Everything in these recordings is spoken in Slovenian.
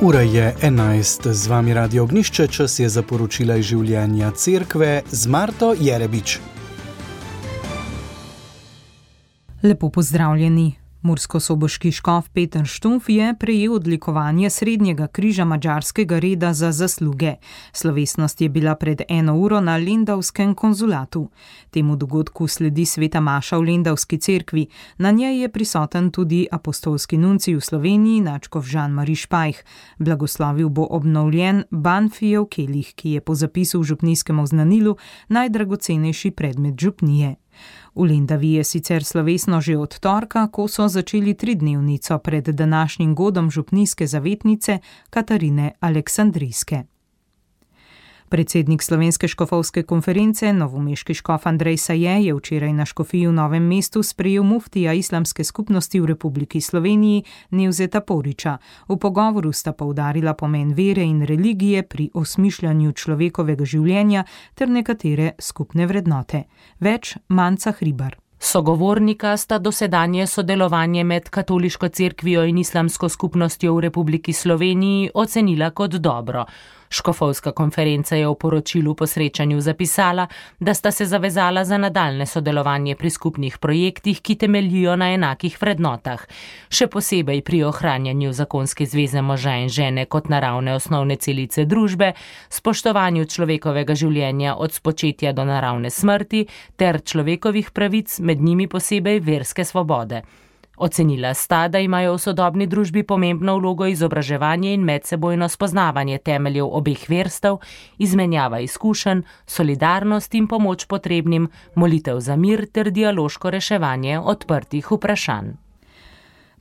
Ura je 11, z vami Radio Ognišče, čas je za poročila iz življenja cerkve z Marto Jerebič. Lepo pozdravljeni. Murskosoboški škof Peter Štumpf je prejel odlikovanje Srednjega križa madžarskega reda za zasluge. Slovesnost je bila pred 1 uro na Lendavskem konzulatu. Temu dogodku sledi sveta maša v Lendavski cerkvi. Na njej je prisoten tudi apostolski nuncij v Sloveniji, nadškof Jean-Marie Špajh. Blagoslovil bo obnovljen Banfijev kelih, ki je po zapisu v župnijskem oznanilu najdragocenejši predmet župnije. V Lendavi je sicer slovesno že od torka, ko so začeli 3-dnevnico pred današnjim godom župnijske zavetnice Katarine Aleksandrijske. Predsednik Slovenske škofovske konference, novomeški škof Andrej Saje, je včeraj na škofiji v Novem mestu sprejel muftija Islamske skupnosti v Republiki Sloveniji Nevzeta Poriča. V pogovoru sta poudarila pomen vere in religije pri osmišljanju človekovega življenja ter nekatere skupne vrednote. Več Manca Hribar. Sogovornika sta dosedanje sodelovanje med katoliško cerkvijo in islamsko skupnostjo v Republiki Sloveniji ocenila kot dobro. Škofovska konferenca je v poročilu po srečanju zapisala, da sta se zavezala za nadaljne sodelovanje pri skupnih projektih, ki temeljijo na enakih vrednotah. Še posebej pri ohranjanju zakonske zveze moža in žene kot naravne osnovne celice družbe, spoštovanju človekovega življenja od spočetja do naravne smrti ter človekovih pravic, med njimi posebej verske svobode. Ocenila sta, da imajo v sodobni družbi pomembno vlogo izobraževanje in medsebojno spoznavanje temeljev obeh verstev, izmenjava izkušenj, solidarnost in pomoč potrebnim, molitev za mir ter dialoško reševanje odprtih vprašanj.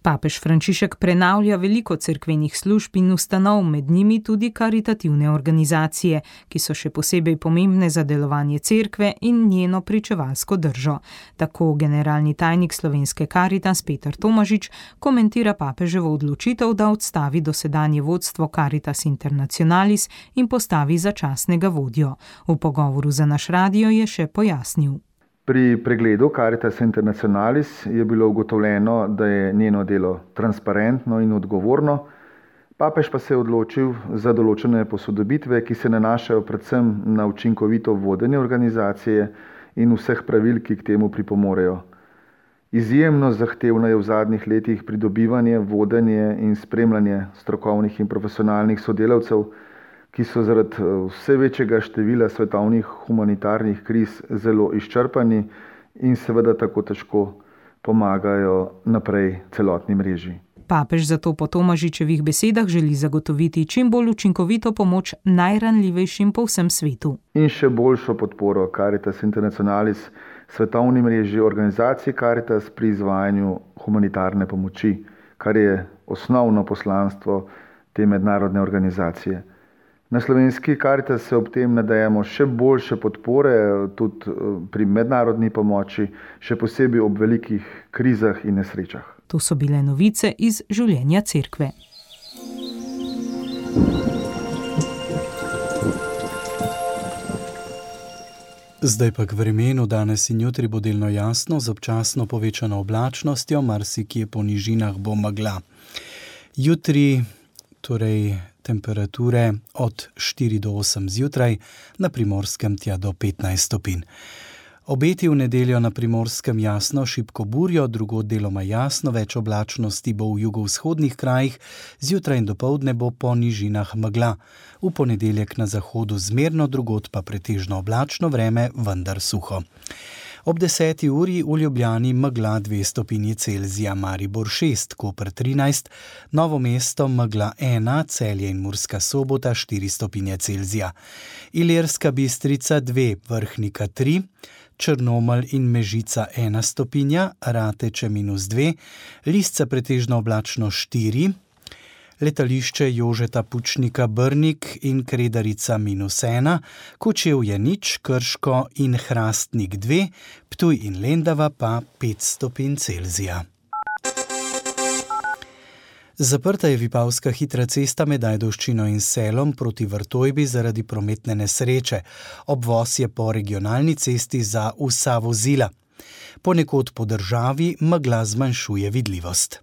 Papež Frančišek prenavlja veliko cerkvenih služb in ustanov, med njimi tudi karitativne organizacije, ki so še posebej pomembne za delovanje cerkve in njeno pričevalsko držo. Tako generalni tajnik slovenske Karitas Peter Tomažič komentira papeževo odločitev, da odstavi dosedanje vodstvo Caritas Internationalis in postavi začasnega vodjo. V pogovoru za naš radio je še pojasnil. Pri pregledu Caritas Internationalis je bilo ugotovljeno, da je njeno delo transparentno in odgovorno, papež pa se je odločil za določene posodobitve, ki se nanašajo predvsem na učinkovito vodenje organizacije in vseh pravil, ki k temu pripomorejo. Izjemno zahtevno je v zadnjih letih pridobivanje, vodenje in spremljanje strokovnih in profesionalnih sodelavcev, ki so zaradi vse večjega števila svetovnih humanitarnih kriz zelo izčrpani in seveda tako težko pomagajo naprej celotni mreži. Papež zato po Tomažičevih besedah želi zagotoviti čim bolj učinkovito pomoč najranljivejšim po vsem svetu. In še boljšo podporo Caritas Internationalis svetovni mreži organizacij Caritas pri izvajanju humanitarne pomoči, kar je osnovno poslanstvo te mednarodne organizacije. Na slovenski Caritas se ob tem nadejamo še boljše podpore, tudi pri mednarodni pomoči, še posebej ob velikih krizah in nesrečah. To so bile novice iz življenja cerkve. Zdaj pa k vremenu. Danes in jutri bo delno jasno, z občasno povečano oblačnostjo, marsikje po nižinah bo megla. Jutri torej temperature od 4 do 8 zjutraj, na Primorskem tja do 15 stopinj. Obeti v nedeljo na Primorskem jasno, šibko burjo, drugod deloma jasno, več oblačnosti bo v jugovzhodnih krajih, zjutraj in dopoldne bo po nižinah megla. V ponedeljek na zahodu zmerno, drugod pa pretežno oblačno vreme, vendar suho. Ob 10. uri v Ljubljani megla 2 stopinji Celzija, Maribor 6, Koper 13, Novo mesto megla 1, Celje in Murska Sobota 4 stopinje Celzija, Ilirska Bistrica 2, Vrhnika 3, Črnomelj in Mežica 1 stopinja, Rateče -2, Lisca pretežno oblačno 4, letališče Jožeta Pučnika Brnik in Kredarica -1, Kočevje 0, Krško in Hrastnik 2, Ptuj in Lendava pa 5 stopinj Celzija. Zaprta je Vipavska hitra cesta med Ajdovščino in Selom proti Vrtojbi zaradi prometne nesreče. Obvoz je po regionalni cesti za vsa vozila. Ponekod po državi megla zmanjšuje vidljivost.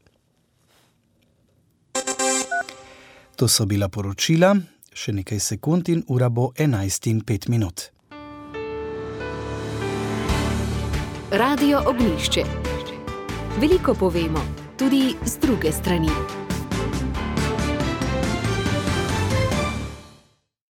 To so bila poročila, še nekaj sekund in ura bo 11:05. Radio Ognjišče. Veliko povemo, tudi z druge strani.